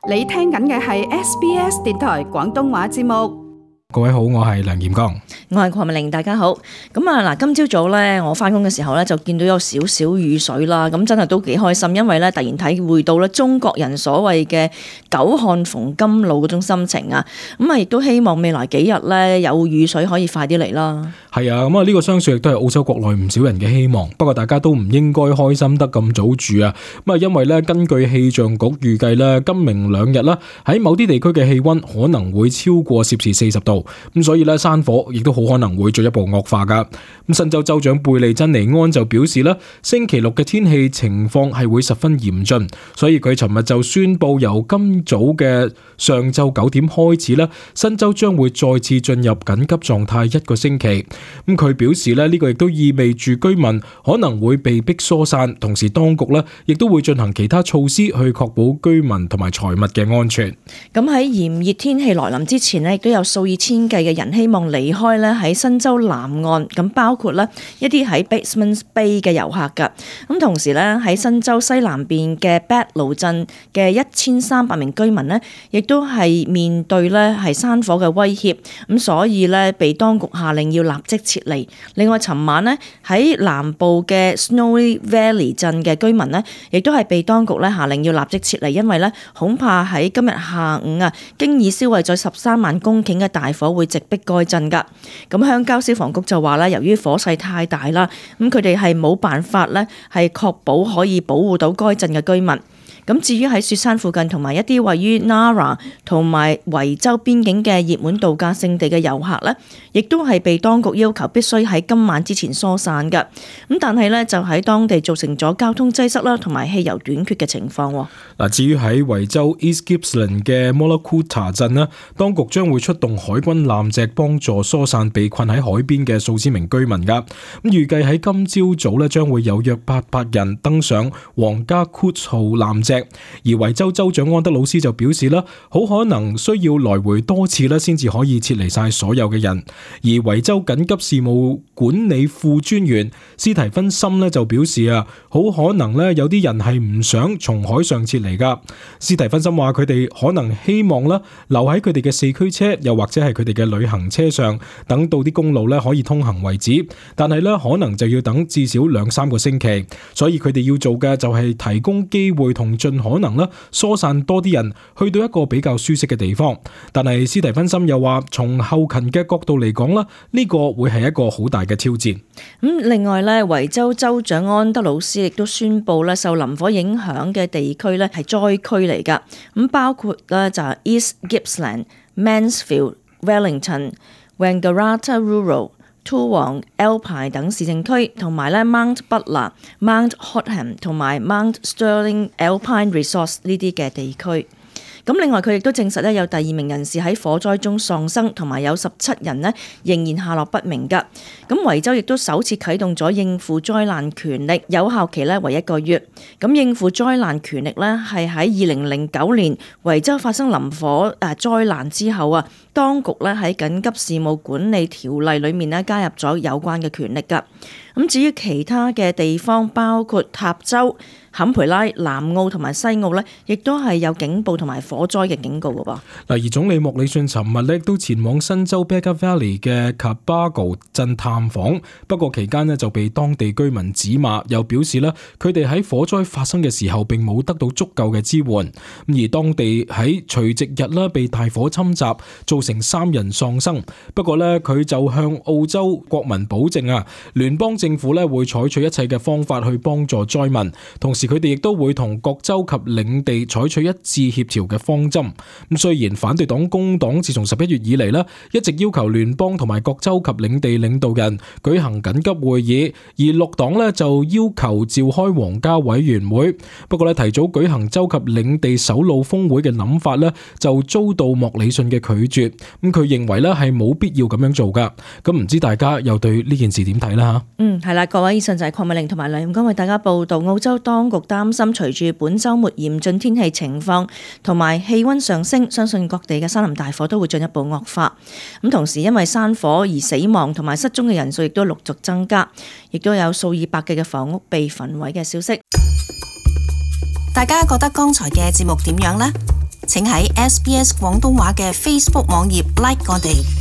你聽緊嘅係 SBS 電台廣東話節目。各位好，我係梁炎剛，我係鄺美玲，大家好。咁啊嗱，今朝早咧，我翻工嘅時候咧，就見到有少少雨水啦。咁真係都幾開心，因為咧突然體會到咧中國人所謂嘅久旱逢甘露嗰種心情啊。咁啊，亦都希望未來幾日咧有雨水可以快啲嚟啦。係啊，咁啊呢個相信亦都係澳洲國內唔少人嘅希望。不過大家都唔應該開心得咁早住啊。咁啊，因為咧根據氣象局預計咧，今明兩日啦喺某啲地區嘅氣溫可能會超過攝氏40度。咁所以咧山火亦都好可能會進一步惡化噶。咁新州州長貝利珍尼安就表示啦，星期六嘅天氣情況係會十分嚴峻，所以佢尋日就宣布由今早嘅上晝9點開始啦，新州將會再次進入緊急狀態1個星期。咁佢表示咧，呢個亦都意味住居民可能會被逼疏散，同時當局咧亦都會進行其他措施去確保居民同埋財物嘅安全。咁喺炎熱天氣來臨之前咧，亦都有數以千計嘅人希望離開咧喺新州南岸，咁包括咧一啲喺 Batemans Bay 嘅遊客㗎。咁同時咧喺新州西南邊嘅 Badlow 鎮嘅1300名居民咧，亦都係面對咧係山火嘅威脅，咁所以咧被當局下令要立即撤離。另外，尋晚咧喺南部嘅 Snowy Valley 鎮嘅居民咧，亦都係被當局咧下令要立即撤離，因為咧恐怕喺今日下午啊，經已燒毀咗13萬公頃嘅大火會直逼該鎮㗎。咁鄉郊消防局就話咧，由於火勢太大啦，咁佢哋係冇辦法咧係確保可以保護到該鎮嘅居民。咁至於喺雪山附近同埋一啲位於 Nara 同埋維州邊境嘅熱門度假勝地嘅遊客呢，亦都係被當局要求必須喺今晚之前疏散㗎。咁但係呢，就喺當地造成咗交通擠塞啦，同埋汽油短缺嘅情況。嗱，至於喺維州 East Gippsland 嘅 Mollacoota 鎮呢，當局將會出動海軍艦隻幫助疏散被困喺海邊嘅數千名居民㗎。咁預計喺今朝早呢，將會有約800人登上皇家 Coutts 號艦隻。而維州州長安德魯斯就表示啦，好可能需要來回多次啦，先至可以撤離晒所有嘅人。而維州緊急事務管理副專員斯提芬森咧就表示啊，好可能咧有啲人係唔想從海上撤離噶。斯提芬森話佢哋可能希望啦留喺佢哋嘅4驅車，又或者係佢哋嘅旅行車上，等到啲公路咧可以通行為止。但係咧可能就要等至少2-3個星期，所以佢哋要做嘅就係提供機會同盡可能啦疏散多啲人去到一個比較舒適嘅地方。但係斯提芬森又話，從後勤嘅角度嚟講啦，呢個會係一個好大嘅挑戰。另外咧，維州州長安德魯斯亦都宣布咧，受林火影響嘅地區咧係災區嚟噶。咁包括咧就係 East Gippsland、Mansfield、Wellington、Wangaratta Rural、Toowong、Alpine 等市政區，同埋咧 Mount Butler、Mount Hotham 同埋 Mount Sterling Alpine Resource 呢啲嘅地區。咁另外佢亦都證實咧，有第2名人士喺火災中喪生，同埋有17人呢仍然下落不明㗎。咁維州亦都首次啟動咗應付災難權力，有效期咧為1個月。咁應付災難權力咧係喺2009年維州發生林火災難之後啊，當局咧喺緊急事務管理條例裏面咧加入咗有關嘅權力㗎。咁至於其他嘅地方，包括塔州、坎培拉、南澳同埋西澳呢，亦都係有警報同埋火災嘅警告㗎噃。嗱，而總理莫里遜尋日咧都前往新州 Baker Valley 嘅 Cabargo 鎮探訪，不過期間呢就被當地居民指罵，又表示咧佢哋喺火災發生嘅時候並冇得到足夠嘅支援。而當地喺除夕日啦被大火侵襲，造成3人喪生。不過呢，佢就向澳洲國民保證啊，聯邦政府咧會採取一切嘅方法去幫助災民，同時佢哋亦都會同各州及領地採取一致協調嘅方針。咁雖然反對黨工黨自從11月以嚟咧，一直要求聯邦同埋各州及領地領導人舉行緊急會議，而綠黨咧就要求召開皇家委員會。不過咧提早舉行州及領地首腦峰會嘅諗法咧，就遭到莫里遜嘅拒絕。咁佢認為咧係冇必要咁樣做噶。咁唔知大家又對呢件事點睇啦？係啦，各位，以上就係鄺美玲同埋梁炎剛為大家報道。澳洲當局擔心隨住本週末嚴峻天氣情況同埋氣溫上升，相信各地嘅山林大火都會進一步惡化。咁同時因為山火而死亡同埋失蹤嘅人數亦都陸續增加，亦都有數以百計嘅房屋被焚毀嘅消息。大家覺得剛才嘅節目點樣呢？請喺SBS 廣東話嘅 Facebook 網頁 like 我哋。